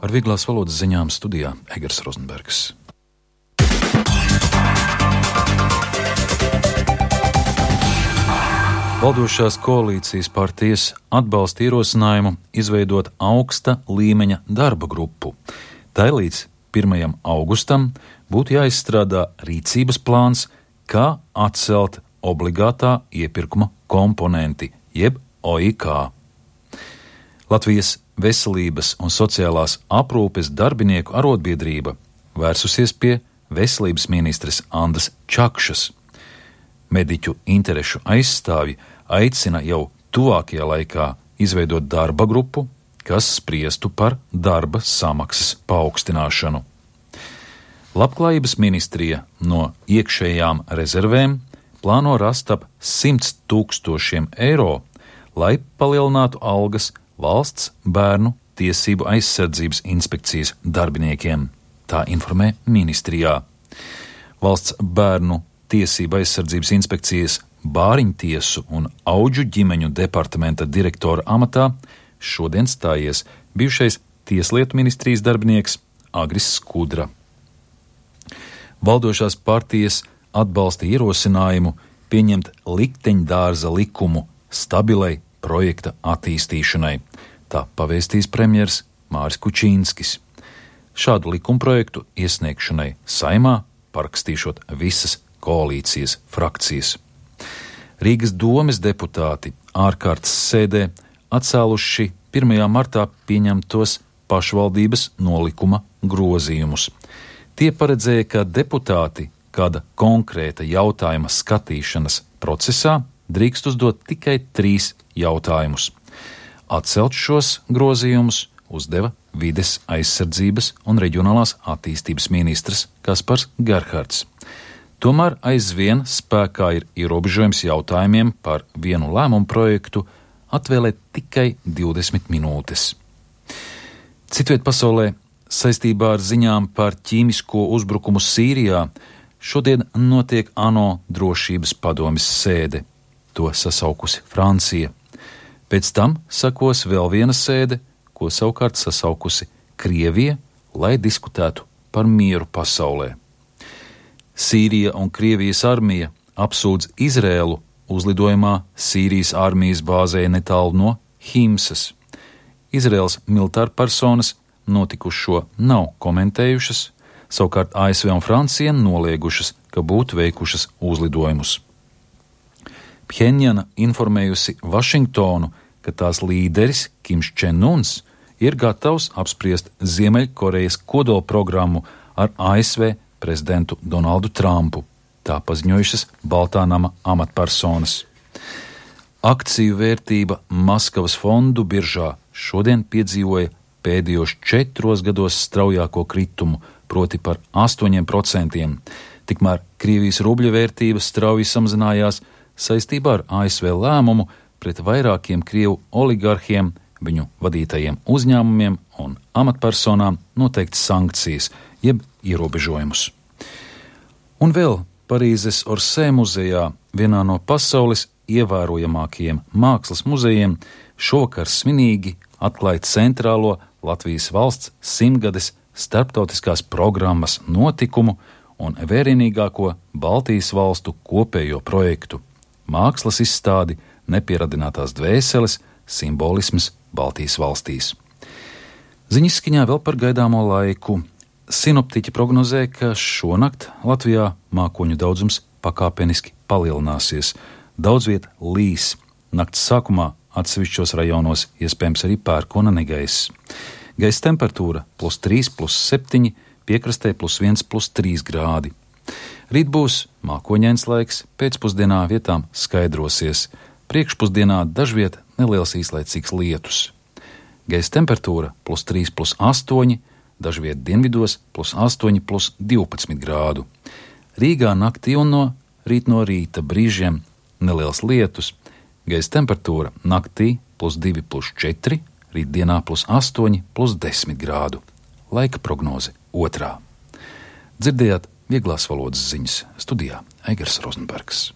Ar vieglās valodas ziņām studijā Egers Rozenbergs. Valdošās koalīcijas partijas atbalsta ierosinājumu izveidot augsta līmeņa darba grupu. Tai līdz 1. augustam būtu jāizstrādā rīcības plāns, kā atcelt obligātā iepirkuma komponenti, jeb OIK. Latvijas Veselības un sociālās aprūpes darbinieku arotbiedrība vērsusies pie veselības ministres Andas Čakšas. Mediķu interešu aizstāvji aicina jau tuvākajā laikā izveidot darba grupu, kas spriestu par darba samaksas paaugstināšanu. Labklājības ministrija no iekšējām rezervēm plāno rast ap 100 000 eiro, lai palielinātu algas Valsts bērnu tiesību aizsardzības inspekcijas darbiniekiem. Tā informē ministrijā. Valsts bērnu tiesību aizsardzības inspekcijas Bāriņtiesu un Audžu ģimeņu departamenta direktora amatā šodien stājies bijušais Tieslietu ministrijas darbinieks Agris Skudra. Valdošās partijas atbalsta ierosinājumu pieņemt likteņdārza likumu stabilai projekta attīstīšanai. Tā pavēstīs premjers Māris Kučīnskis. Šādu likumprojektu iesniegšanai Saeimā parakstīšot visas koalīcijas frakcijas. Rīgas domes deputāti ārkārtas sēdē atcēluši 1. martā pieņemtos pašvaldības nolikuma grozījumus. Tie paredzēja, ka deputāti kāda konkrēta jautājuma skatīšanas procesā drīkst uzdot tikai 3 jautājumus. Atcelt šos grozījumus uzdeva vides aizsardzības un reģionālās attīstības ministrs Kaspars Gerhards. Tomēr aizvien spēkā ir ierobežojums jautājumiem par vienu lēmumu projektu atvēlēt tikai 20 minūtes. Citviet pasaulē saistībā ar ziņām par ķīmisko uzbrukumu Sīrijā šodien notiek ANO drošības padomes sēde. To sasaukusi Francija. Pēc tam sakos vēl viena sēde, ko savukārt sasaukusi Krievija, lai diskutētu par mieru pasaulē. Sīrija un Krievijas armija apsūdz Izrēlu uzlidojumā Sīrijas armijas bāzē netālu no Himsas. Izrēlas militārpersonas notikušo nav komentējušas, savukārt ASV un Francija noliegušas, ka būtu veikušas uzlidojumus. Pjenjana informējusi Vašingtonu, ka tās līderis Kims Čen-uns ir gatavs apspriest Ziemeļkorejas kodolprogrammu ar ASV prezidentu Donaldu Trumpu. Tā paziņojušas Baltā nama amatpersonas. Akciju vērtība Maskavas fondu biržā šodien piedzīvoja pēdējos 4 gados straujāko kritumu, proti par 8%. Tikmēr Krievijas rubļa vērtība strauji samazinājās saistībā ar ASV lēmumu pret vairākiem Krievu oligarhiem, viņu vadītajiem uzņēmumiem un amatpersonām noteikt sankcijas, jeb ierobežojumus. Un vēl Parīzes Orsē muzejā, vienā no pasaules ievērojamākajiem mākslas muzejiem, šovakar svinīgi atklāja centrālo Latvijas valsts 100-gades starptautiskās programmas notikumu un vērienīgāko Baltijas valstu kopējo projektu – mākslas izstādi Nepieradinātās dvēseles simbolisms Baltijas valstīs. Ziņaskaņā vēl par gaidāmo laiku. Sinoptiķi prognozē, ka šonakt Latvijā mākoņu daudzums pakāpeniski palielināsies. Daudz viet līs. Nakts sākumā atsevišķos rajonos iespējams arī pērkona negaiss. Gaisa temperatūra +3, +7, piekrastē +1, +3 grādi. Rīt būs mākoņains laiks, pēcpusdienā vietām skaidrosies. Priekšpusdienā dažviet neliels īslaicīgs lietus. Gaisa temperatūra +3, +8, dažviet dienvidos +8, +12 grādu. Rīgā naktī un rīt no rīta brīžiem neliels lietus. Gaisa temperatūra naktī +2, +4, rītdienā +8, +10 grādu. Laika prognoze 2. Dzirdējāt vieglās valodas ziņas studijā Egers Rozenbergs.